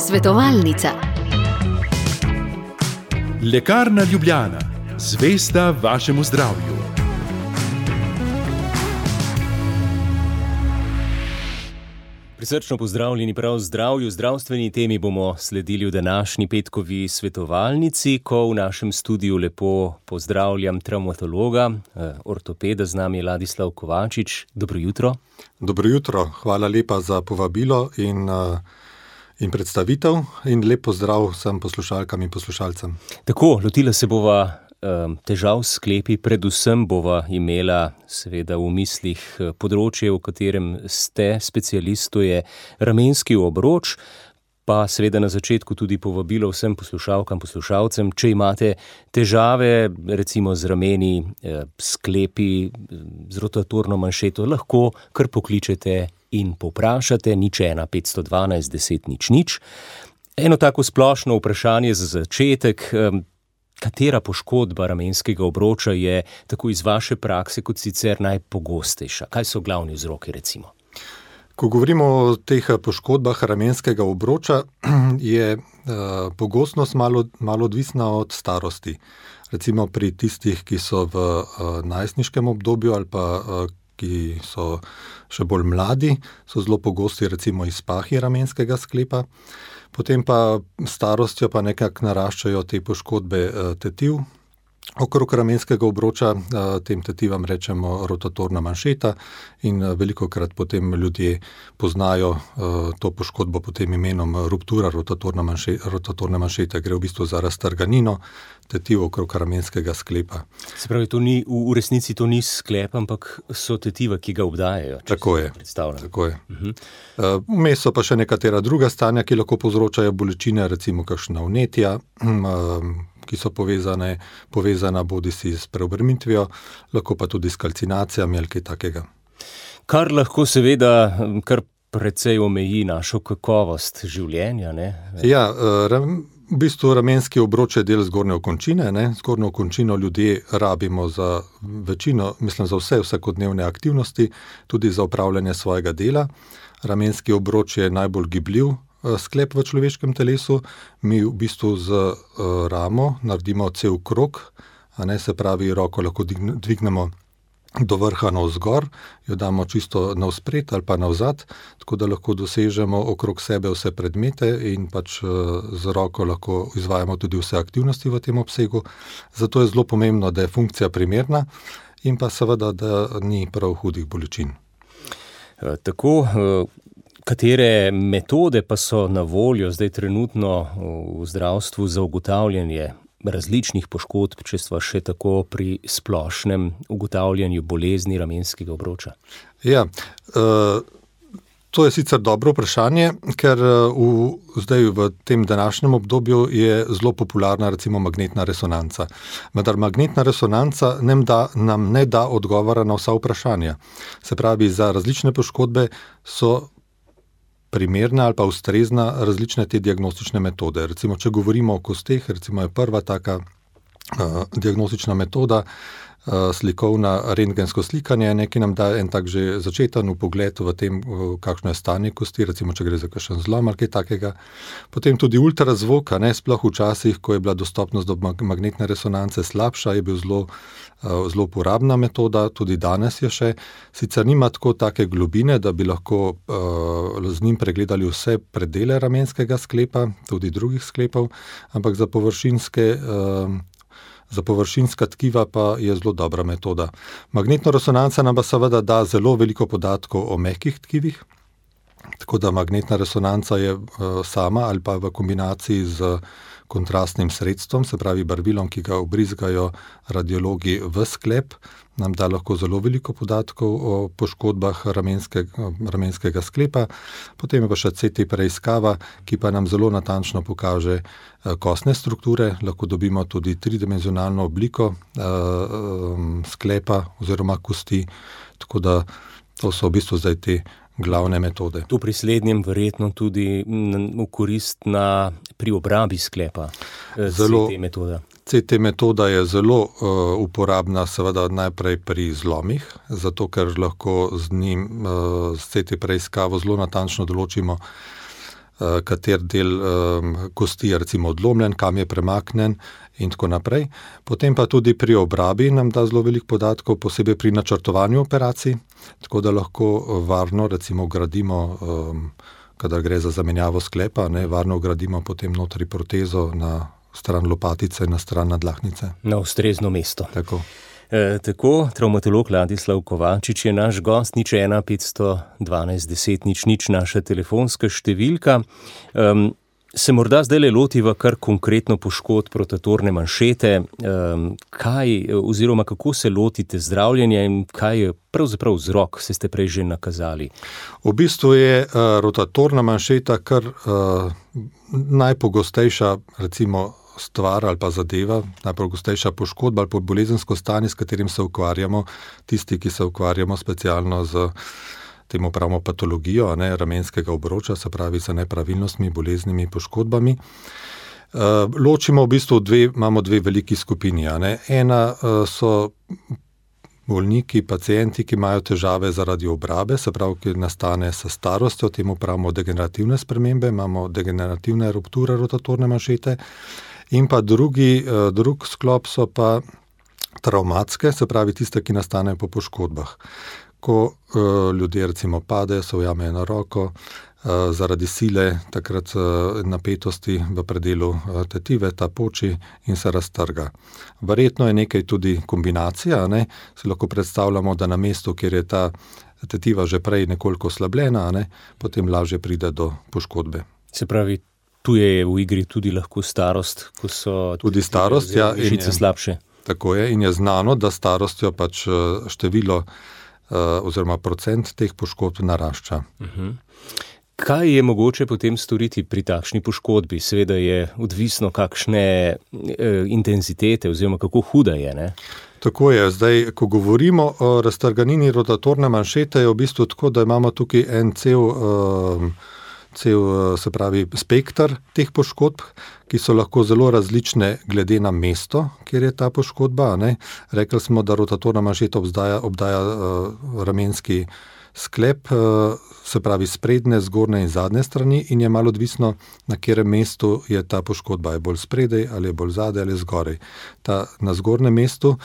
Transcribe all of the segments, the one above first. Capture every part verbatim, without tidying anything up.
Svetovalnica. Lekarna Ljubljana, zvesta vašemu zdravju. Prisrčno pozdravljeni prav zdravju. Zdravstveni temi bomo sledili v današnji petkovi svetovalnici, ko v našem studiu lepo pozdravljam travmatologa, ortopeda, z nami je Ladislav Kovačič. Dobro jutro. Dobro jutro, hvala lepa za povabilo in, in predstavitev in lep pozdrav vsem poslušalkam in poslušalcem. Tako, lotila se bova težav s sklepi, predvsem bova imela seveda v mislih področje, v katerem ste specialist, to je ramenski obroč, pa seveda na začetku tudi povabilo vsem poslušalkam, poslušalcem, če imate težave recimo z rameni, sklepi, z rotatorno manšeto, lahko kar pokličete in povprašate, nič ena petsto dvanajst deset nič nič. Eno tako splošno vprašanje za začetek. Katera poškodba ramenskega obroča je tako iz vaše prakse kot sicer najpogostejša? Kaj so glavni vzroki recimo? Ko govorimo o teh poškodbah ramenskega obroča, je pogostnost malo, malo odvisna od starosti. Recimo pri tistih, ki so v najstniškem obdobju ali pa ki so še bolj mladi, so zelo pogosti recimo izpahi ramenskega sklepa. Potem pa starostjo pa nekako naraščajo te poškodbe tetiv okrog ramenskega obroča, tem tetivam rečemo rotatorna manšeta in velikokrat potem ljudje poznajo to poškodbo pod tem imenom ruptura rotatorna manšeta, rotatorne manšete, gre v bistvu za raztrganino tetiv okrog ramenskega sklepa. Se pravi, to ni, v resnici to ni sklep, ampak so tetiva, ki ga obdajajo. Tako je, tako je. Uh-huh. Vmes so pa še nekatera druga stanja, ki lahko povzročajo bolečine, recimo kakšna vnetja, ki so povezane, povezana bodisi s preobremenitvijo, lahko pa tudi s kalcinacijami ali kaj takega. Kar lahko seveda kar precej omeji našo kakovost življenja, ne? Ja, v bistvu ramenski obroč je del zgornje okončine, ne? Zgornjo okončino ljudje rabimo za večino, mislim za vse vsakodnevne aktivnosti, tudi za opravljanje svojega dela. Ramenski obroč je najbolj gibljiv sklep v človeškem telesu. Mi v bistvu z ramo naredimo cel krog, a ne, se pravi, roko lahko dvignemo do vrha navzgor, jo damo čisto navspred ali pa navzad, tako da lahko dosežemo okrog sebe vse predmete in pač z roko lahko izvajamo tudi vse aktivnosti v tem obsegu. Zato je zelo pomembno, da je funkcija primerna in pa seveda, da ni prav hudih bolečin. Tako, katere metode pa so na voljo zdaj trenutno v zdravstvu za ugotavljanje različnih poškodb, če sva še tako pri splošnem ugotavljanju bolezni ramenskega obroča? Ja, to je sicer dobro vprašanje, ker v, zdaj v tem današnjem obdobju je zelo popularna recimo magnetna resonanca. Vendar magnetna resonanca nam, da, nam ne da odgovora na vsa vprašanja. Se pravi, za različne poškodbe so primerna ali pa ustrezna različne te diagnostične metode. Recimo, če govorimo o kosteh, recimo je prva taka uh, diagnostična metoda uh, slikovna rentgensko slikanje, nekaj nam da en tak že začeten vpogled v tem, uh, kakšno je stanje kosti, recimo, če gre za kakšen zlom ali kaj takega. Potem tudi ultrazvok, ne, sploh včasih, ko je bila dostopnost do magnetne resonance slabša, je bil zelo zelo uporabna metoda, tudi danes je še. Sicer nima tako take globine, da bi lahko uh, z njim pregledali vse predele ramenskega sklepa, tudi drugih sklepov, ampak za površinske, uh, za površinska tkiva pa je zelo dobra metoda. Magnetna resonanca nam pa seveda da zelo veliko podatkov o mehkih tkivih, tako da magnetna resonanca je uh, sama ali pa v kombinaciji z kontrastnim sredstvom, se pravi barvilom, ki ga obrizgajo radiologi v sklep, nam da lahko zelo veliko podatkov o poškodbah ramenskega, ramenskega sklepa. Potem je pa še C T preiskava, ki pa nam zelo natančno pokaže kostne strukture, lahko dobimo tudi tridimenzionalno obliko uh, sklepa oziroma kosti, tako da to so v bistvu zdaj te glavne metode. Tu pri slednjem verjetno tudi v korist na, pri obrabi sklepa zelo, C T metoda. C T metoda je zelo uh, uporabna seveda najprej pri zlomih, zato ker lahko z njim, uh, s C T preiskavo zelo natančno določimo kater del kosti je recimo odlomljen, kam je premaknen in tako naprej. Potem pa tudi pri obrabi nam da zelo veliko podatkov, posebej pri načrtovanju operacij, tako da lahko varno recimo gradimo, kadar gre za zamenjavo sklepa, ne, varno gradimo potem notri protezo na stran lopatice, na stran nadlahnice. Na ustrezno mesto. Tako. E, tako, travmatolog Ladislav Kovačič je naš gost, nič ena petsto dvanajst deset nič nič, naša telefonska številka. Um, se morda zdaj le lotiva kar konkretno poškodb rotatorne manšete. Um, kaj oziroma kako se lotite zdravljenja in kaj je pravzaprav vzrok, se ste prej že nakazali? V bistvu je uh, rotatorna manšeta kar uh, najpogostejša recimo stvar ali pa zadeva, najpogostejša poškodba ali pa bolezensko stanje, s katerim se ukvarjamo, tisti, ki se ukvarjamo specialno z temu pravimo patologijo, ne, ramenskega obroča, se pravi z nepravilnostmi, boleznimi, poškodbami. Uh, ločimo v bistvu dve, imamo dve veliki skupini. Ne. Ena uh, so bolniki, pacienti, ki imajo težave zaradi obrabe, se pravi, ki nastane s starostjo, temu pravimo degenerativne spremembe, imamo degenerativne rupture rotatorne manšete. In pa drugi, drug sklop so pa travmatske, se pravi tiste, ki nastanejo po poškodbah. Ko uh, ljudje recimo padejo, se ujamejo na roko, uh, zaradi sile, takrat uh, napetosti v predelu uh, tetive, ta poči in se raztrga. Verjetno je nekaj tudi kombinacija, ne? Si lahko predstavljamo, da na mestu, kjer je ta tetiva že prej nekoliko oslabljena, ne? Potem lažje pride do poškodbe. Se pravi, tu je v igri tudi lahko starost, ko so tudi starost, ja, žice slabše. Tako je in je znano, da starostjo pač število oziroma procent teh poškodb narašča. Uh-huh. Kaj je mogoče potem storiti pri takšni poškodbi? Seveda je odvisno, kakšne e, intenzitete oziroma kako huda je, ne? Tako je. Zdaj, ko govorimo o raztrganini rotatorne manšete, je v bistvu tako, da imamo tukaj en cel uh, cel, se pravi, spektr teh poškodb, ki so lahko zelo različne glede na mesto, kjer je ta poškodba. Ne? Rekli smo, da rotatorna manšeta obdaja, obdaja uh, ramenski sklep, uh, se pravi sprednje, zgornje in zadnje strani in je malo odvisno, na katerem mestu je ta poškodba. Je bolj spredej ali je bolj zadaj ali zgorej. Ta, na zgornjem mestu,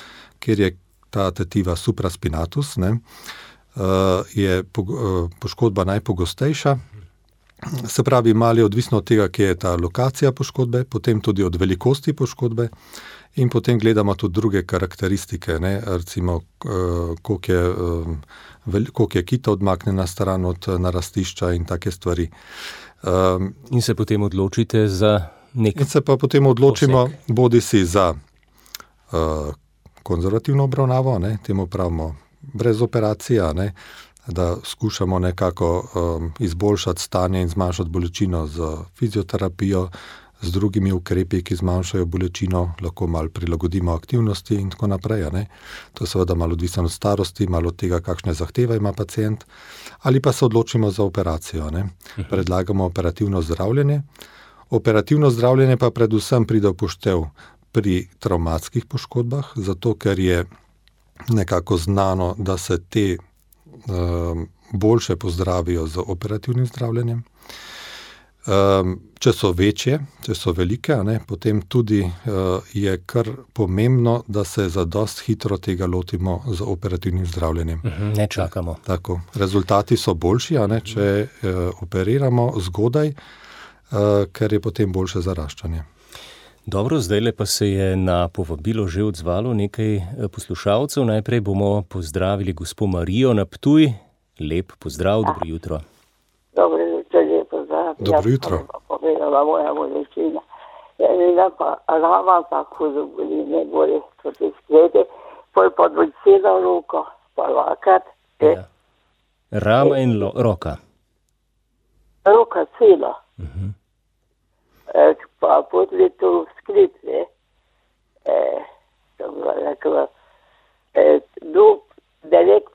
kjer je ta tetiva supraspinatus, ne, uh, je po, uh, poškodba najpogostejša. Se pravi, malo je odvisno od tega, kje je ta lokacija poškodbe, potem tudi od velikosti poškodbe in potem gledamo tudi druge karakteristike, ne? Recimo, koliko je, koliko je kita odmaknjena stran od narastišča in take stvari. In se potem odločite za nek In se pa potem odločimo poseg. Bodi si za uh, konzervativno obravnavo, ne? Temu pravimo brez operacija, ne? Da skušamo nekako um, izboljšati stanje in zmanjšati bolečino z fizioterapijo, z drugimi ukrepi, ki zmanjšajo bolečino, lahko malo prilagodimo aktivnosti in tako naprej. Ne? To je seveda malo odvisno od starosti, malo od tega, kakšne zahteve ima pacient, ali pa se odločimo za operacijo. Ne? Predlagamo operativno zdravljenje. Operativno zdravljenje pa predvsem pride v poštev pri travmatskih poškodbah, zato ker je nekako znano, da se te boljše pozdravijo z operativnim zdravljenjem. Če so večje, če so velike, ne, potem tudi je kar pomembno, da se zadost hitro tega lotimo z operativnim zdravljenjem. Ne čakamo. Tako. Rezultati so boljši, a ne, če operiramo zgodaj, ker je potem boljše zaraščanje. Dobro, zdajle pa se je na povabilo že odzvalo nekaj poslušalcev. Najprej bomo pozdravili gospo Marijo na Ptuj. Lep pozdrav, dobro jutro. Dobro jutro, lep pozdrav. Dobro jutro. Jaz pa povedala moja bolečina. Ena pa rama tako zaboli, ne boli proti sklede, pol pa dvojcela roko, pa lakat. Ja. Rama in lo- roka. Roka cela. Uh-huh. E, pa potli to skrit, ne. E, to bi rekla, e, dub, delek,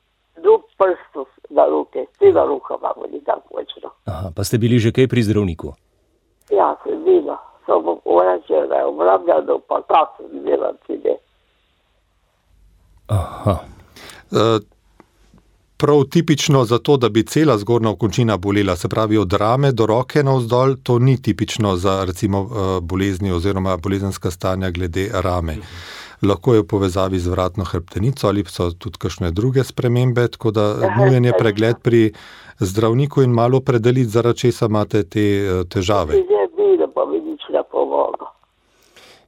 dub prstov na roke, cela roka imamo, ni tako močno. Aha, pa ste bili že kaj pri zdravniku? Ja, sem bila. Samo orače, da je obrabljeno, pa tako sem bila tudi. Aha. Uh, prav tipično za to, da bi cela zgornja okončina bolela, se pravi od rame do roke navzdol, to ni tipično za recimo bolezni oziroma bolezenska stanja glede rame. Lahko je v povezavi z vratno hrbtenico ali so tudi kakšne druge spremembe, tako da nujen je pregled pri zdravniku in malo predeliti, zaradi česa imate te težave.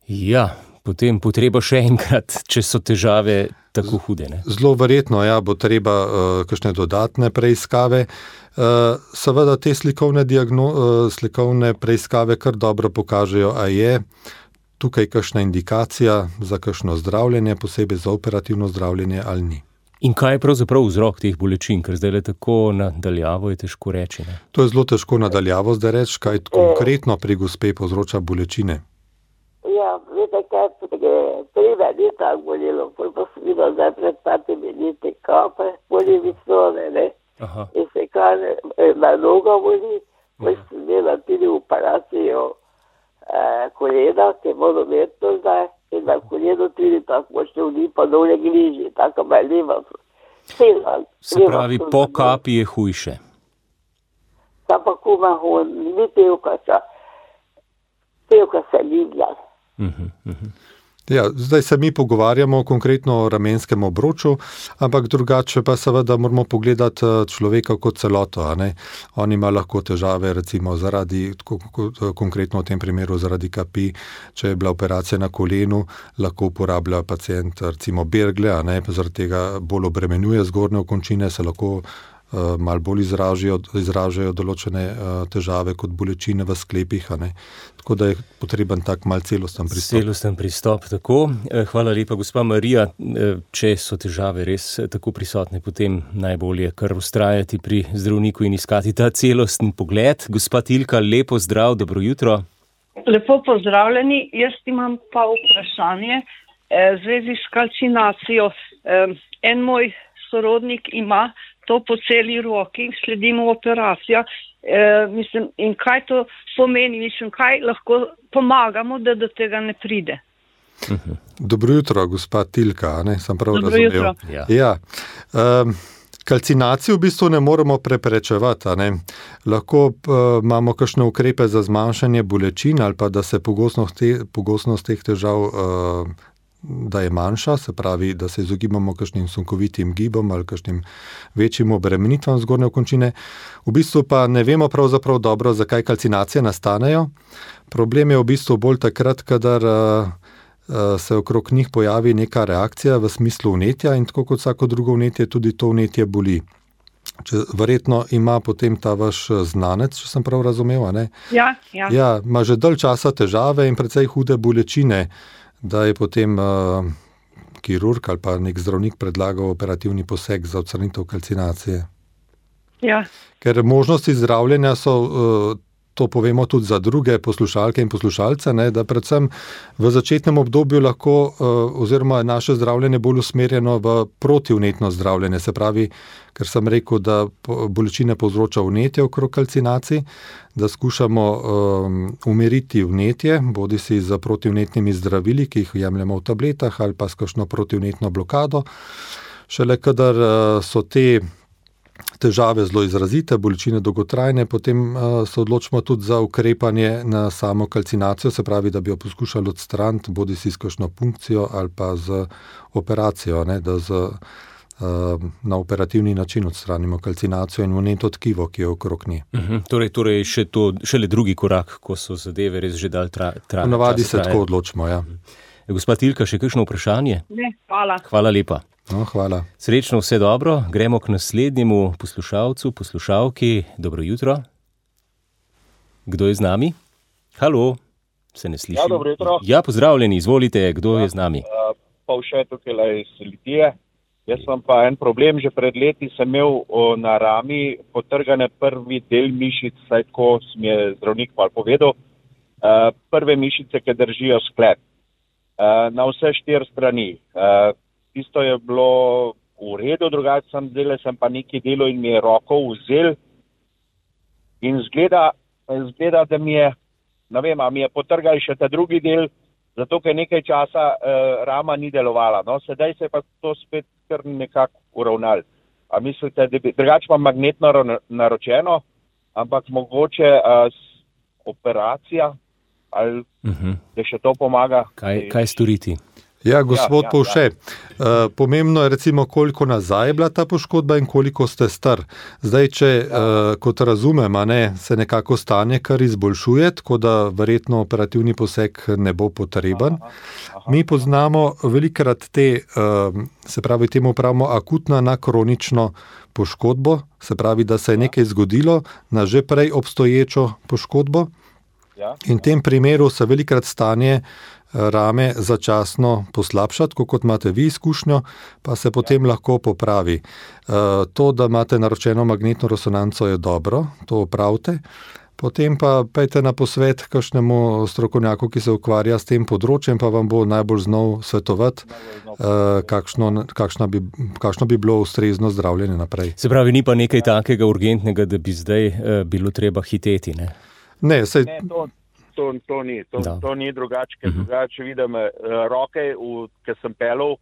Ja, potem potreba še enkrat, če so težave tako hude. Ne? Zelo verjetno, ja, bo treba uh, kakšne dodatne preiskave. Uh, seveda te slikovne, diagno, uh, slikovne preiskave kar dobro pokažejo, a je tukaj kakšna indikacija za kakšno zdravljenje, posebej za operativno zdravljenje ali ni. In kaj je pravzaprav vzrok teh bolečin, ker zdaj le tako nadaljavo je težko reči? Ne? To je zelo težko nadaljavo zdaj reči, kaj konkretno pri gospe povzroča bolečine. Ja, vete kaj, prve ni tako bolelo, pol pa sem videla zdaj pred patimi leti kape, boli visone, ne? Aha. In se kaže, na noga boli, pol sem imela tudi operacijo eh, kolena, ki je monometno zdaj, in na koleno tudi tako močno vni pa dole griži, tako me leva. Se pravi, po kapi je hujše. Ta pa kuma hon, ni pevka, pevka se ligla. Uh-huh, uh-huh. Ja, zdaj se mi pogovarjamo konkretno o ramenskem obroču, ampak drugače pa seveda moramo pogledati človeka kot celoto. A ne? On ima lahko težave recimo zaradi, konkretno v tem primeru zaradi kapi, če je bila operacija na kolenu, lahko uporablja pacient recimo bergle, a ne? Zaradi tega bolj obremenjuje zgornje okončine, se lahko uh, malo bolj izražajo, izražajo določene uh, težave kot bolečine v sklepih, a ne? Tako da je potreben tak mal celosten pristop. Celosten pristop, tako. Hvala lepa, gospa Marija. Če so težave res tako prisotne, potem najbolje kar vztrajati pri zdravniku in iskati ta celosten pogled. Gospa Tilka, lepo zdrav, dobro jutro. Lepo pozdravljeni. Jaz imam pa vprašanje v zvezi s kalcinacijo. En moj sorodnik ima to po celi roki, sledimo operacijo. E, mislim, in kaj to pomeni, mislim, kaj lahko pomagamo, da do tega ne pride. Dobro jutro, gospa Tilka, ne, sem prav Dobro razumel. Jutro. Ja. Ja. Um, kalcinacijo v bistvu ne moremo preprečevati, ne. Lahko uh, imamo kakšne ukrepe za zmanjšanje bolečin ali pa da se pogostnost, te, pogostnost teh težav uh, da je manjša, se pravi, da se izogibamo kakšnim sunkovitim gibom ali kakšnim večjim obremenitvam zgornje okončine. V bistvu pa ne vemo pravzaprav dobro, zakaj kalcinacije nastanejo. Problem je v bistvu bolj takrat, kadar uh, uh, se okrog njih pojavi neka reakcija v smislu vnetja in tako kot vsako drugo vnetje, tudi to vnetje boli. Če, verjetno ima potem ta vaš znanec, če sem prav razumel, a ne? Ja, ja. Ja, ima že dalj časa težave in precej hude bolečine, da je potem uh, kirurg ali pa nek zdravnik predlagal operativni poseg za odstranitev kalcinacije. Ja. Ker možnosti zdravljenja so, uh, to povemo tudi za druge poslušalke in poslušalce, ne, da predvsem v začetnem obdobju lahko uh, oziroma naše zdravljenje bolj usmerjeno v protivnetno zdravljenje, se pravi, ker sem rekel, da bolečine povzroča vnetje okrog kalcinacij, da skušamo um, umiriti vnetje, bodi si z protivnetnimi zdravili, ki jih jemljemo v tabletah ali pa s kakšno protivnetno blokado. Šele kadar uh, so te težave zelo izrazite, bolečine dolgotrajne, potem uh, se odločimo tudi za ukrepanje na samo kalcinacijo, se pravi, da bi jo poskušali odstraniti, bodi si s kakšno punkcijo ali pa z operacijo, ne, da z na operativni način odstranimo kalcinacijo in vneto tkivo, ki je okrog nje. Uh-huh. Torej, torej še to, šele drugi korak, ko so zadeve res že dal trajati. Tra, Navadi se tako odločimo, ja. Uh-huh. Gospa Tilka, še kakšno vprašanje? Ne, hvala. Hvala lepa. No, hvala. Srečno, vse dobro. Gremo k naslednjemu poslušalcu, poslušalki. Dobro jutro. Kdo je z nami? Halo, se ne sliši? Ja, dobro jutro. Ja, pozdravljeni, izvolite, kdo ja, je z nami? Uh, pa vše tukaj iz Litije. Jaz sem pa en problem, že pred leti sem imel o, na rami potrgane prvi del mišic, saj tako mi je zdravnik malo povedal, uh, prve mišice, ki držijo sklep. Uh, na vse štiri strani. Uh, tisto je bilo v redu, drugače sem zdaj, sem pa neki delo in mi je roko vzel in zgleda, zgleda, da mi je, ne vem, a mi je potrgal še ta drugi del, zato, ker nekaj časa uh, rama ni delovala. No, sedaj se je pa to spet kar nekako uravnal. A mislite, da bi drugače imam magnetno naročeno, ampak mogoče a, operacija ali uh-huh. da še to pomaga? Kaj, kaj storiti? Ja, gospod ja, ja, Povše, ja. uh, pomembno je recimo, koliko nazaj je bila ta poškodba in koliko ste star. Zdaj, če, ja. uh, kot razumem, a ne, se nekako stanje kar izboljšuje, tako da verjetno operativni poseg ne bo potreben. Aha, aha, Mi poznamo velikrat te, uh, se pravi, temu pravimo akutna na kronično poškodbo, se pravi, da se je nekaj zgodilo na že prej obstoječo poškodbo. Ja. In v tem primeru se velikrat stanje rame začasno poslabšati, kot imate vi izkušnjo, pa se potem ja. lahko popravi. To, da imate naročeno magnetno resonanco, je dobro, to opravite. Potem pa pejte na posvet kakšnemu strokovnjaku, ki se ukvarja s tem področjem, pa vam bo najbolj znal svetovati, kakšno, kakšno, bi, kakšno bi bilo ustrezno zdravljenje naprej. Se pravi, ni pa nekaj takega urgentnega, da bi zdaj bilo treba hiteti, ne? Ne, sej... ne to, to, to ni, to, to ni drugače, ker uh-huh. drugače vidim uh, roke, ker sem pelal,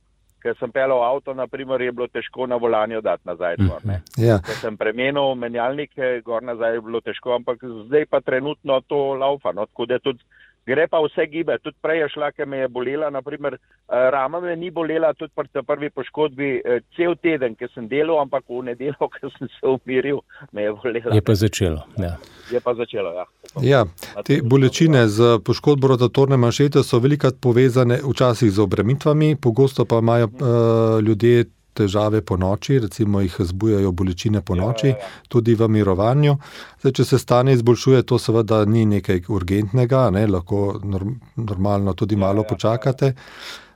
ker sem pelal avto, naprimer, je bilo težko na volanju dati nazaj gor, ne. Uh-huh. Ja. Ker sem premenil menjalnike, gor nazaj je bilo težko, ampak zdaj pa trenutno to laufa, no, tako da tudi gre pa vse gibe, tudi prej je šla, ker me je bolela, naprimer, rama me ni bolela, tudi pri prvi poškodbi cel teden, ker sem delal, ampak v nedeljo, ker sem se umiril, me je bolela. Je pa začelo, ja. Je pa začelo, ja. Ja, te bolečine z poškodbo rotatorne manšete so velikokrat povezane včasih z obremitvami, pogosto pa imajo uh, ljudje težave po noči, recimo jih zbujajo bolečine po noči, ja, ja, ja. tudi v mirovanju. Zdaj, če se stanje izboljšuje, to seveda ni nekaj urgentnega, ne, lahko norm, normalno tudi malo ja, ja, počakate.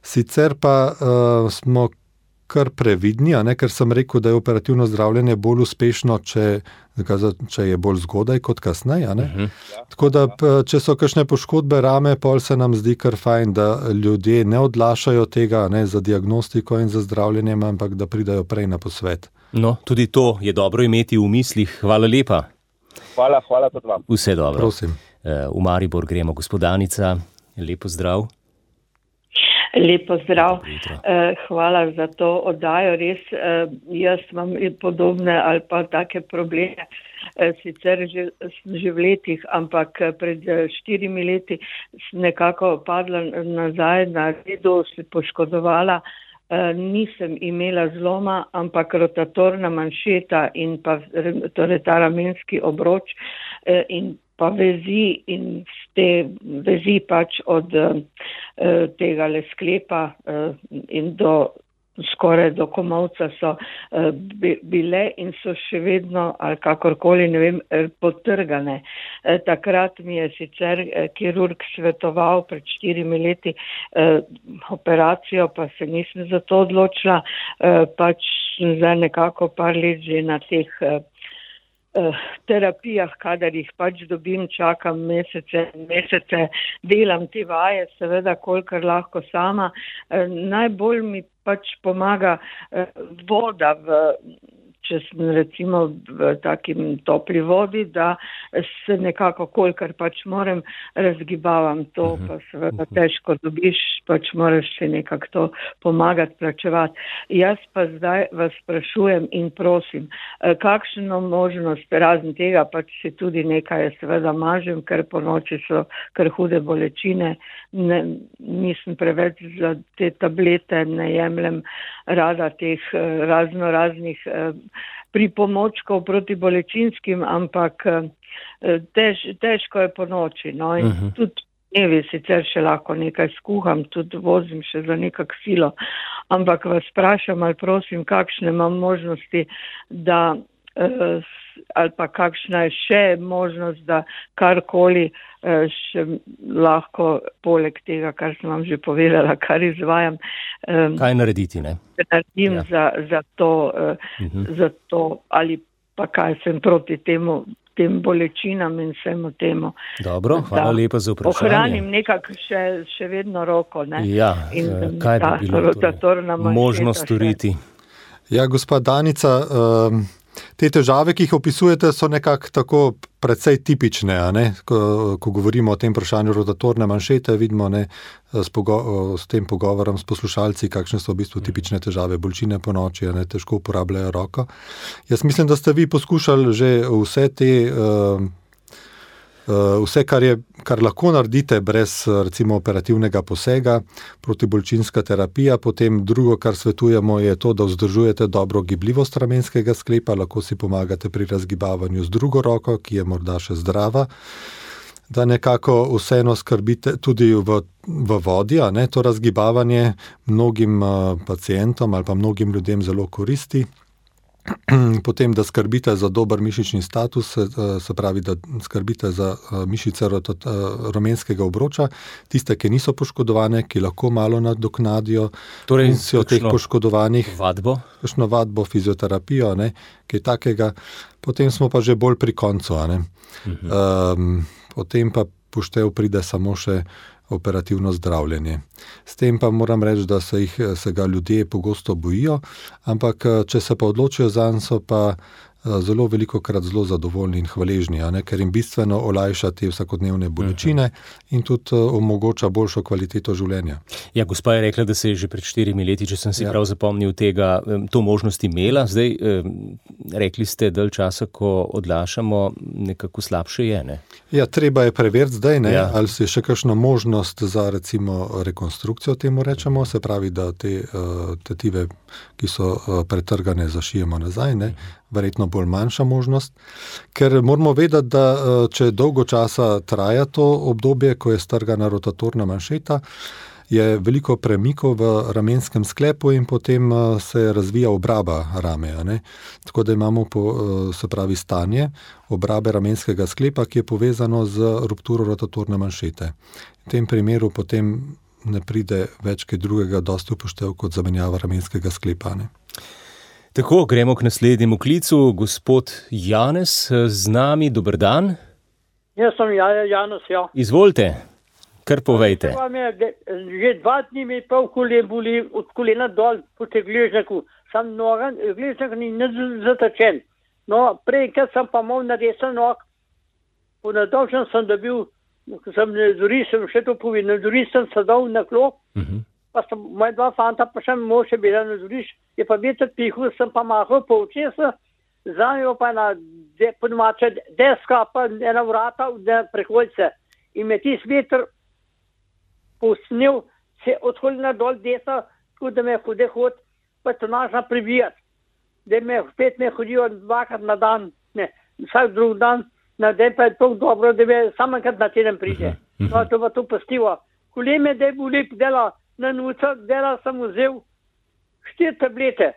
Sicer pa uh, smo kar previdni, a ne, ker sem rekel, da je operativno zdravljenje bolj uspešno, če, če je bolj zgodaj kot kasneje. A ne. Uh-huh. Tako da, če so kakšne poškodbe rame, pol se nam zdi kar fajn, da ljudje ne odlašajo tega, ne, za diagnostiko in za zdravljenje, ampak da pridajo prej na posvet. No, tudi to je dobro imeti v mislih. Hvala lepa. Hvala, hvala tudi vam. Vse dobro. Prosim. V Maribor gremo, gospodanica. Lepo zdrav. Lepo zdrav. Hvala za to oddajo. Res, jaz imam podobne ali pa take probleme, sicer že, že v letih, ampak pred štirimi leti sem nekako padla nazaj na redu, se poškodovala. Nisem imela zloma, ampak rotatorna manšeta in pa torej ta ramenski obroč in pa vezi in te vezi pač od uh, tega le sklepa uh, in do skoraj do komolca so uh, bile in so še vedno ali kakorkoli, ne vem, potrgane. Uh, takrat mi je sicer uh, kirurg svetoval pred štirimi leti uh, operacijo, pa se nisem za to odločila, uh, pač za nekako par let že na teh uh, terapijah, kadar jih pač dobim, čakam mesece, mesece, delam te vaje, seveda, kolikor lahko sama. Najbolj mi pač pomaga voda, v, če sem recimo v takim topli vodi, da se nekako, kolikor pač moram, razgibavam to, pa seveda težko dobiš, pač moraš se nekako to pomagati, plačevati. Jaz pa zdaj vas sprašujem in prosim, kakšno možnost, razen tega, pač si tudi nekaj seveda mažem, ker po noči so kar hude bolečine, ne, nisem preveč za te tablete, ne jemljem rada teh razno raznih pripomočkov proti bolečinskim, ampak tež, težko je po noči. No, in uh-huh. tudi dnevi sicer še lahko nekaj skuham, tudi vozim še za nekak silo, ampak vas sprašam ali prosim, kakšne imam možnosti, da ali pa kakšna je še možnost, da karkoli še lahko poleg tega, kar sem vam že povedala, kar izvajam. Kaj narediti, ne? Naredim ja. za, za, to, uh-huh. za to, ali pa kaj sem proti temu, tem bolečinam in vsemu temu. Dobro, hvala lepa za vprašanje. Ohranim nekako še, še vedno roko, ne? Ja, in, kaj ta, bi bilo torej možno storiti? Ja, gospa Danica, um, te težave, ki jih opisujete, so nekako tako precej tipične, a ne? Ko, ko govorimo o tem vprašanju rotatorne manšete, vidimo, ne, s, pogo- s tem pogovorom s poslušalci, kakšne so v bistvu tipične težave, bolečine po noči, a ne, težko uporabljajo roko. Jaz mislim, da ste vi poskušali že vse te uh, Uh, vse, kar, je, kar lahko naredite brez recimo operativnega posega, protibolečinska terapija, potem drugo, kar svetujemo, je to, da vzdržujete dobro gibljivost ramenskega sklepa, lahko si pomagate pri razgibavanju z drugo roko, ki je morda še zdrava, da nekako vseeno skrbite tudi v, v vodi, a ne, to razgibavanje mnogim uh, pacientom ali pa mnogim ljudem zelo koristi. Potem, da skrbite za dober mišični status, se pravi, da skrbite za mišice ramenskega obroča, tiste, ki niso poškodovane, ki lahko malo nadoknadijo torej, funkcijo teh poškodovanih. Vadbo? Kakšno vadbo, fizioterapijo, ne, kaj takega. Potem smo pa že bolj pri koncu. A ne. Mhm. Um, potem pa poštev pride samo še operativno zdravljenje. S tem pa moram reči, da se, jih, se ga ljudje pogosto bojijo, ampak če se pa odločijo zanj, so pa zelo veliko krat zelo zadovoljni in hvaležni, a ne, ker jim bistveno olajša te vsakodnevne bolečine in tudi omogoča boljšo kvaliteto življenja. Ja, gospa je rekla, da se je že pred štirimi leti, če sem si ja. prav zapomnil tega, to možnost imela. Zdaj, rekli ste, dalj časa, ko odlašamo, nekako slabše je, ne? Ja, treba je preveriti zdaj, ne, ja. ali se je še kakšna možnost za recimo rekonstrukcijo, temu rečemo, se pravi, da te uh, tetive, ki so uh, pretrgane, zašijemo nazaj, ne, verjetno bolj manjša možnost, ker moramo vedeti, da uh, če dolgo časa traja to obdobje, ko je strgana rotatorna manšeta, je veliko premikov v ramenskem sklepu in potem uh, se razvija obraba rame, a ne. Tako da imamo po, uh, se pravi stanje obrabe ramenskega sklepa, ki je povezano z rupturo rotatorne manšete. V tem primeru potem ne pride več kaj drugega dosti upoštev kot zamenjava ramenskega sklepa, ne. Tako, gremo k naslednjemu klicu. Gospod Janez z nami, dober dan. Jaz sem Janez, ja. Izvolite, kar povejte. Je, že dva dni mi pol kolen boli, od kolena dol, po te gležnjaku. Sam noga, gležnjak ni zatečen. No, prej, kad sem pa mal na desen nog, po nadolžen sem dobil, ko sem nazori, sem še to povedal, nazori sem sedal na klop, uh-huh. Pa sem, moja dva fanta pa še mož je bila nazoriš, je pa veter pihul, sem pa mahal po očesa, za njo pa na de, podmače deska, pa ena vrata, ena preholjce. In me tis veter posnil, se odholjena dol desa, tako da me hude hod, pa to naša pribijat. Da me spet me hodijo dvakrat na dan, ne, vsak drug dan, na dan pa je to dobro, da me samenkrat na teden pride. No, to pa to postivo. Kole me da je boli, dela, na nuca, dela sem vzel štiri tablete,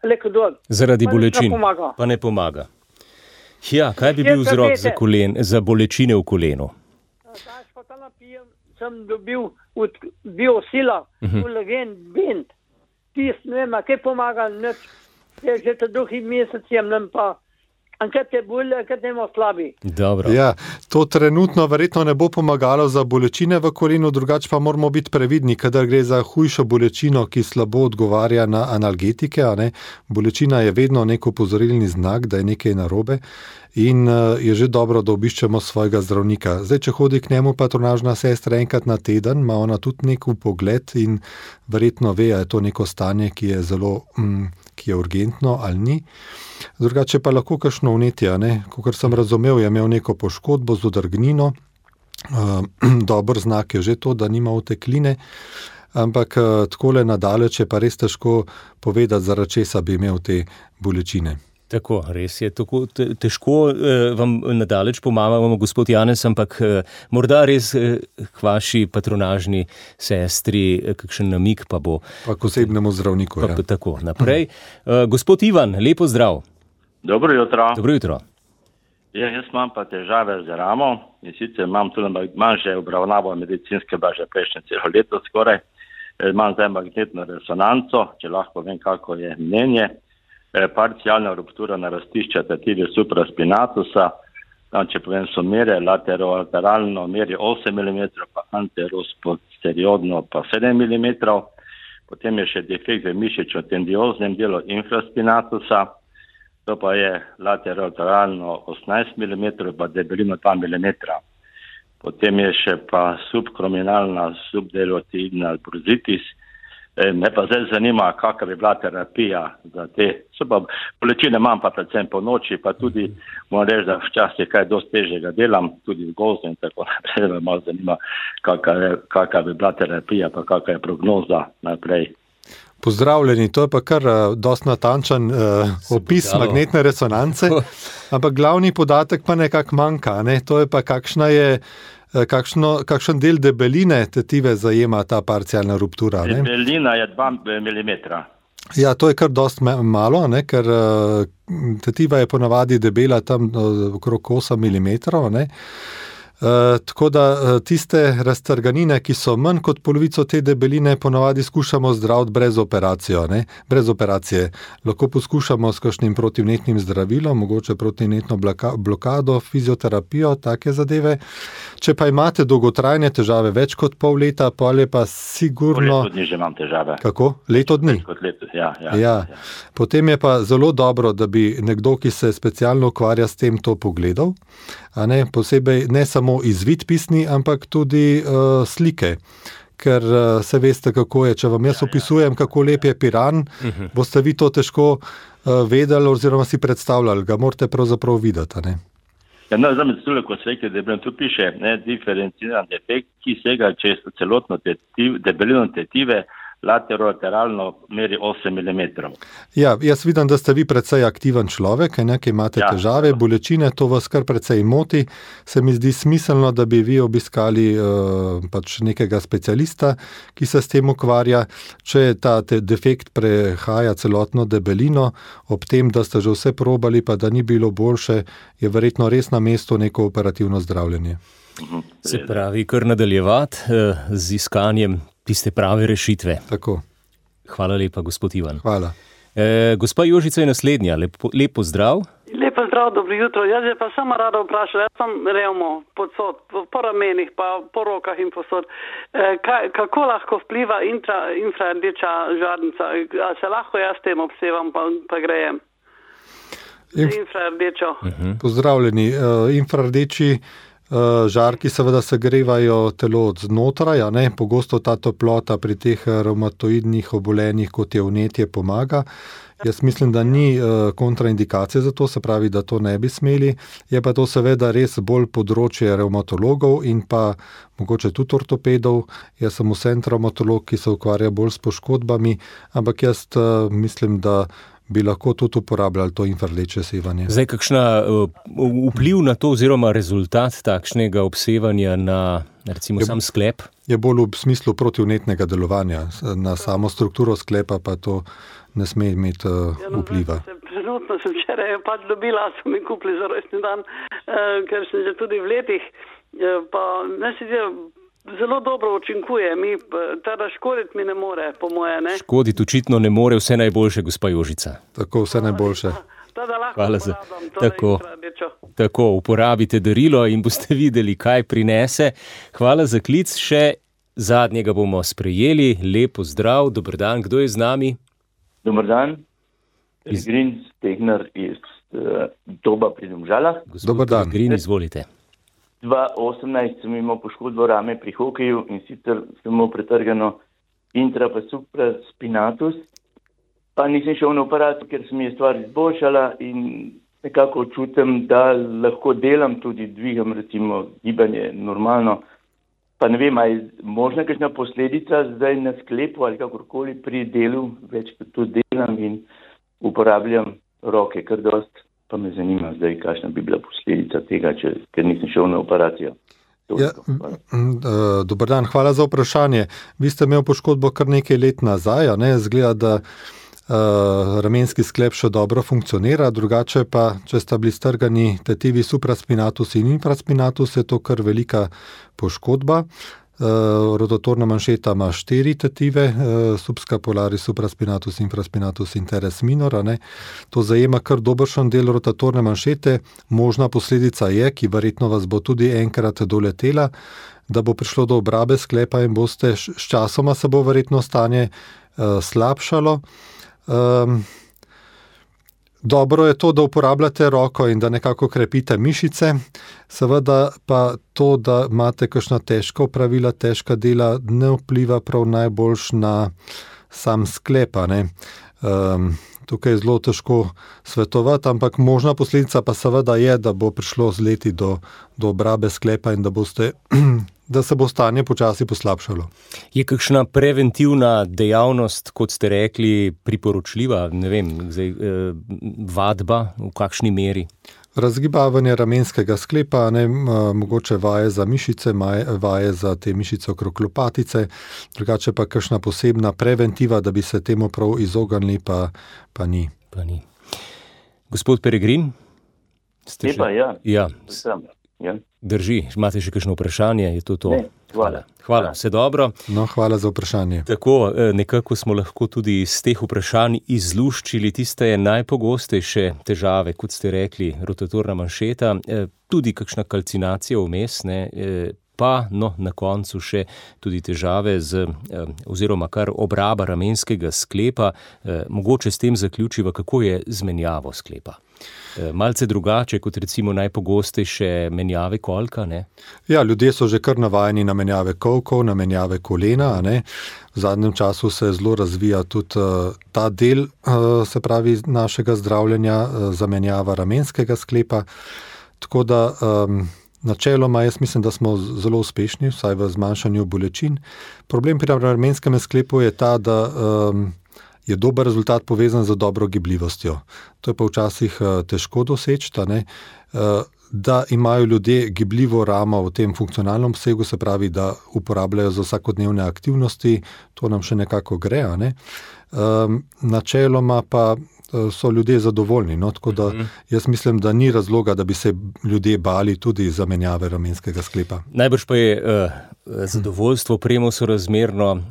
lekodol. Zaradi bolečin, pa ne pomaga. Ja, kaj bi bil vzrok za, kolen, za bolečine v kolenu? Daš pa ta napijem, sem dobil od biosila, uh-huh. kolagen, bend, tis, ne vem, kaj pomaga, neč, je že ta drugi mesec jemnem pa, ankrat je bolj, ankrat nemo slabi. Dobro. Ja, to trenutno verjetno ne bo pomagalo za bolečine v kolenu, drugače pa moramo biti previdni, kadar gre za hujšo bolečino, ki slabo odgovarja na analgetike, a ne. Bolečina je vedno nek opozorilni znak, da je nekaj narobe in uh, je že dobro, da obiščemo svojega zdravnika. Zdaj, če hodi k njemu patronažna sestra enkrat na teden, ima ona tudi nek vpogled in verjetno ve, a je to neko stanje, ki je zelo, mm, ki je urgentno ali ni. Drugače pa lahko kakšno vnetje, ne? Kakor sem razumel, je imel neko poškodbo z odrgnino, uh, dober znak je že to, da nima otekline, ampak uh, takole nadaleč je pa res težko povedati, zaradi česa bi imel te bolečine. Tako, res je, tako težko eh, vam nadaleč pomagamo, gospod Janez, ampak eh, morda res eh, k vaši patronažni sestri eh, kakšen namik pa bo. Pa k osebnemu zdravniku, pa, ja. Tako, naprej. Eh, gospod Ivan, lepo zdrav. Dobro jutro. Dobro jutro. Ja, jaz imam pa težave z ramo in sicer imam tudi, imam že obravnavo medicinske baže prejšnje celo leto skoraj, imam zdaj magnetno resonanco, če lahko vem, kako je mnenje. Parcialna ruptura narastišča tetivi supraspinatusa, tam, če povem, so mere laterolateralno meri osem milimetrov, pa anterosposteriorno pa sedem milimetrov, potem je še defekt v mišično-tendioznem delu infraspinatusa, to pa je lateralno osemnajst milimetrov, pa debelino dva milimetra. Potem je še pa subkrominalna subdelotiidna bruzitis. Me pa zdaj zanima, kakva bi bila terapija za te. So pa bolečine imam pa predvsem po noči, pa tudi moram reči, da včasih kaj dosti težjega delam, tudi v gozdu in tako naprej. Me malo zanima, kakva bi bila terapija, pa kakva je prognoza naprej. Pozdravljeni, to je pa kar uh, dosti natančen uh, opis magnetne resonance, ampak glavni podatek pa nekako manjka, ne? To je pa kakšna je, uh, kakšno, kakšen del debeline tetive zajema ta parcialna ruptura. Ne? Debelina je dva milimetra. Ja, to je kar dosti malo, ne? Ker uh, tetiva je ponavadi debela tam uh, okrog osem milimetrov, ne? Uh, tako da uh, tiste raztrganine, ki so manj kot polovico te debeline, ponavadi skušamo zdraviti brez operacijo, ne? Brez operacije. Lahko poskušamo s kakšnim protivnetnim zdravilom, mogoče protivnetno blokado, fizioterapijo, take zadeve. Če pa imate dolgotrajne težave več kot pol leta, pa je pa sigurno... Leto dni že imam težave. Kako? Leto dni? Kot leto, ja, ja, ja. ja. Potem je pa zelo dobro, da bi nekdo, ki se specialno ukvarja s tem, to pogledal. A ne, posebej ne samo izvid pisni, ampak tudi uh, slike. Ker uh, se veste, kako je. Če vam jaz opisujem, kako lep je Piran, uh-huh. boste vi to težko uh, vedeli oziroma si predstavljali. Ga morate pravzaprav videti, ne? Ja, no, zdaj me tudi, ko se rekli, da tu piše, ne, diferenciran defekt, ki sega čez celotno tetiv, debelino tetive, lateralno meri osem milimetrov. Ja, jaz vidim, da ste vi precej aktiven človek, ne, ki imate ja, težave, ja. bolečine, to vas kar precej moti. Se mi zdi smiselno, da bi vi obiskali uh, pač nekega specialista, ki se s tem ukvarja. Če ta defekt prehaja celotno debelino, ob tem, da ste že vse probali, pa da ni bilo boljše, je verjetno res na mestu neko operativno zdravljenje. Se pravi, kar nadaljevati uh, z iskanjem tiste prave rešitve. Tako. Hvala lepa, gospod Ivan. Hvala. E, gospa Jožica je naslednja. Lepo, lepo zdrav. Lepo zdrav, dobro jutro. Jaz je pa samo rada vprašala, jaz sem revmo podsod, po ramenih, pa po rokah in posod. E, kaj, kako lahko vpliva intra, infrardeča žarnica? A se lahko jaz tem obsevam, pa, pa grejem? Inf... Infrardečo. Uh-huh. Pozdravljeni. Uh, infrardeči žarki seveda segrevajo telo od znotraj, a ne? Pogosto ta toplota pri teh revmatoidnih obolenjih, kot je vnetje, pomaga. Jaz mislim, da ni kontraindikacije za to, se pravi, da to ne bi smeli. Je pa to seveda res bolj področje revmatologov in pa mogoče tudi ortopedov. Jaz sem vsem revmatolog, ki se ukvarja bolj s poškodbami, ampak jaz mislim, da bi lahko tudi uporabljali to infrardeče sevanje. Zdaj, kakšna uh, vpliv na to oziroma rezultat takšnega obsevanja na, recimo, je, sam sklep? Je bolj v smislu protivnetnega delovanja. Na samo strukturo sklepa pa to ne sme imeti uh, vpliva. Trenutno sem včeraj pač dobila, so mi kupili za rojstni dan, uh, ker sem že tudi v letih, uh, pa ne se zdi, zelo dobro učinkuje, mi teda škoditi mi ne more, po moje, ne? Škoditi očitno ne more, vse najboljše, gospa Jožica. Tako, vse najboljše. Hvala za tako, tako, uporabite darilo in boste videli, kaj prinese. Hvala za klic, še zadnjega bomo sprejeli. Lepo zdrav, dober dan, kdo je z nami? Dober dan, Pellegrin Stegner iz uh, Doba pri Domžalah. Gospod Pellegrin, izvolite. dva tisoč osemnajst sem imel poškodbo rame pri hokeju in sicer sem imel pretrgano intra pa supra spinatus, pa nisem šel na aparat, ker se mi je stvar izboljšala in nekako čutim, da lahko delam, tudi dvigam recimo gibanje normalno, pa ne vem, ali je možna kakšna posledica zdaj na sklepu ali kakorkoli pri delu, več kot tudi delam in uporabljam roke kar dost. Pa me zanima zdaj, kakšna bi bila posledica tega, če, ker nisem šel na operacijo. Ja, dober dan, hvala za vprašanje. Vi ste imeli poškodbo kar nekaj let nazaj, a ne? Zgleda, da uh, ramenski sklep še dobro funkcionira, drugače pa, če sta bili strgani tetivi supraspinatus in infraspinatus, je to kar velika poškodba. Uh, rotatorna manšeta ima štiri tetive, uh, subscapularis, supraspinatus, infraspinatus in teres minor. Ne? To zajema kar dobršen del rotatorne manšete. Možna posledica je, ki verjetno vas bo tudi enkrat doletela, da bo prišlo do obrabe sklepa in boste s časoma se bo verjetno stanje uh, slabšalo. Um, Dobro je to, da uporabljate roko in da nekako krepite mišice, seveda pa to, da imate kakšna težka opravila, težka dela, ne vpliva prav najboljš na sam sklep, a ne. Um, tukaj je zelo težko svetovati, ampak možna posledica pa seveda je, da bo prišlo z leti do, do obrabe sklepa in da boste da se bo stanje počasi poslabšalo. Je kakšna preventivna dejavnost, kot ste rekli, priporočljiva, ne vem, zdaj, eh, vadba, v kakšni meri? Razgibavanje ramenskega sklepa, ne, mogoče vaje za mišice, vaje za te mišice okrog lopatice, drugače pa kakšna posebna preventiva, da bi se temu prav izognili, pa, pa ni. Pa ni. Gospod Peregrin? Ste Lepa, še... ja. Ja. Sem, ja. Drži, imate še kakšno vprašanje, je to to? Ne, hvala. Hvala, vse dobro. No, hvala za vprašanje. Tako, nekako smo lahko tudi iz teh vprašanj izluščili tiste najpogostejše težave, kot ste rekli, rotatorna manšeta, tudi kakšna kalcinacija vmes, ne, pa no, na koncu še tudi težave z, oziroma kar obraba ramenskega sklepa, mogoče s tem zaključiva, kako je z menjavo sklepa. Malce drugače kot recimo najpogostejše menjave kolka, ne? Ja, ljudje so že kar navajeni na menjave kolkov, na menjave kolena, ne? V zadnjem času se zelo razvija tudi uh, ta del, uh, se pravi, našega zdravljenja, uh, zamenjava ramenskega sklepa, tako da um, načeloma jaz mislim, da smo zelo uspešni, vsaj v zmanjšanju bolečin. Problem pri ramenskem sklepu je ta, da um, je dober rezultat povezan z dobro gibljivostjo. To je pa včasih uh, težko doseči, ne? Uh, da imajo ljudje gibljivo ramo v tem funkcionalnem obsegu, se pravi, da uporabljajo za vsakodnevne aktivnosti, to nam še nekako gre, ne? Um, načeloma pa so ljudje zadovoljni, no, tako da jaz mislim, da ni razloga, da bi se ljudje bali tudi zamenjave ramenskega sklepa. Najbrž pa je uh, zadovoljstvo premo sorazmerno uh,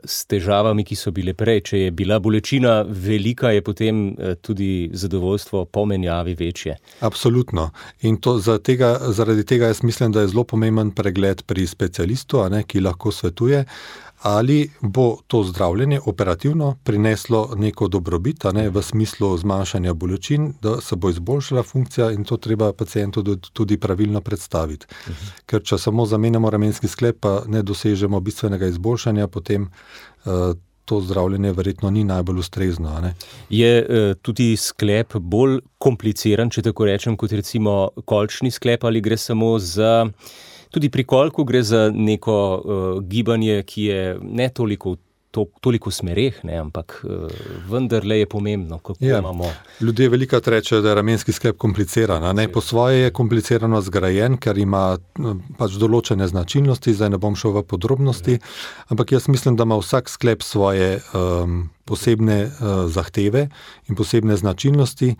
s težavami, ki so bile prej. Če je bila bolečina velika, je potem uh, tudi zadovoljstvo po menjavi večje. Absolutno. In to za tega, zaradi tega jaz mislim, da je zelo pomemben pregled pri specialistu, a ne, ki lahko svetuje, ali bo to zdravljenje operativno prineslo neko dobrobit, a ne, v smislu zmanjšanja bolečin, da se bo izboljšala funkcija in to treba pacientu tudi pravilno predstaviti. Uh-huh. Ker če samo zamenjamo ramenski sklep, pa ne dosežemo bistvenega izboljšanja, potem uh, to zdravljenje verjetno ni najbolj ustrezno. A ne. Je uh, tudi sklep bolj kompliciran, če tako rečem, kot recimo kolčni sklep, ali gre samo za... Tudi pri kolku gre za neko uh, gibanje, ki je ne toliko, to, toliko smereh, ne, ampak uh, vendarle je pomembno, kako ja. imamo. Ljudje velikokrat rečejo, da je ramenski sklep kompliciran. A ne? Po svoje je komplicirano zgrajen, ker ima pač določene značilnosti, zdaj ne bom šel v podrobnosti, ampak jaz mislim, da ima vsak sklep svoje um, posebne uh, zahteve in posebne značilnosti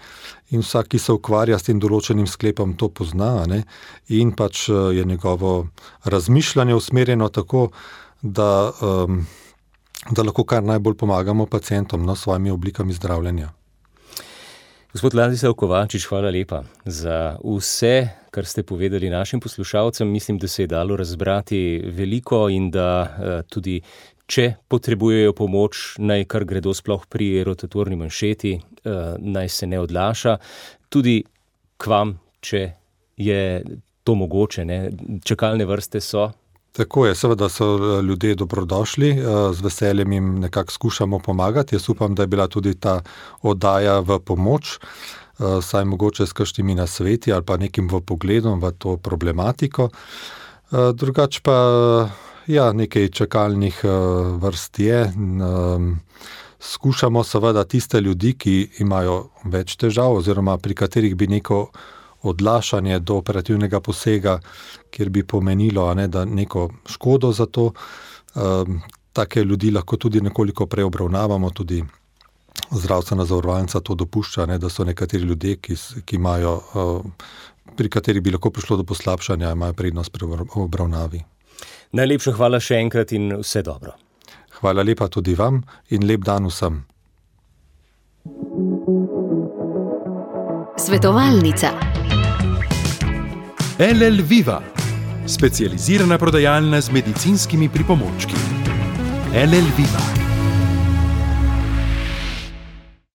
in vsak, ki se ukvarja s tem določenim sklepom, to pozna, ne? In pač uh, je njegovo razmišljanje usmerjeno tako, da, um, da lahko kar najbolj pomagamo pacientom, no, s svojimi oblikami zdravljenja. Gospod Ladislav Kovačič, hvala lepa za vse, kar ste povedali našim poslušalcem. Mislim, da se je dalo razbrati veliko in da uh, tudi če potrebujejo pomoč, naj kar gredo sploh pri rotatorni manšeti, naj se ne odlaša. Tudi k vam, če je to mogoče, ne? Čakalne vrste so. Tako je, seveda so ljudje dobrodošli, z veseljem jim nekako skušamo pomagati. Jaz upam, da je bila tudi ta oddaja v pomoč, saj mogoče s kakšnimi nasveti ali pa nekim v pogledom v to problematiko. Drugač pa ja, nekaj čakalnih uh, vrst je. Um, skušamo seveda tiste ljudi, ki imajo več težav oziroma pri katerih bi neko odlašanje do operativnega posega, kjer bi pomenilo, a ne, da neko škodo za to. Um, take ljudi lahko tudi nekoliko preobravnavamo, tudi zdravstvena zavarovalnica to dopušča, ne, da so nekateri ljudje, ki, ki imajo, uh, pri katerih bi lahko prišlo do poslabšanja, imajo prednost pri obravnavi. Najlepša hvala še enkrat in vse dobro. Hvala lepa tudi vam in lep dan vsem. Svetovalnica. L L Viva, specializirana prodajalna z medicinskimi pripomočki. L L Viva.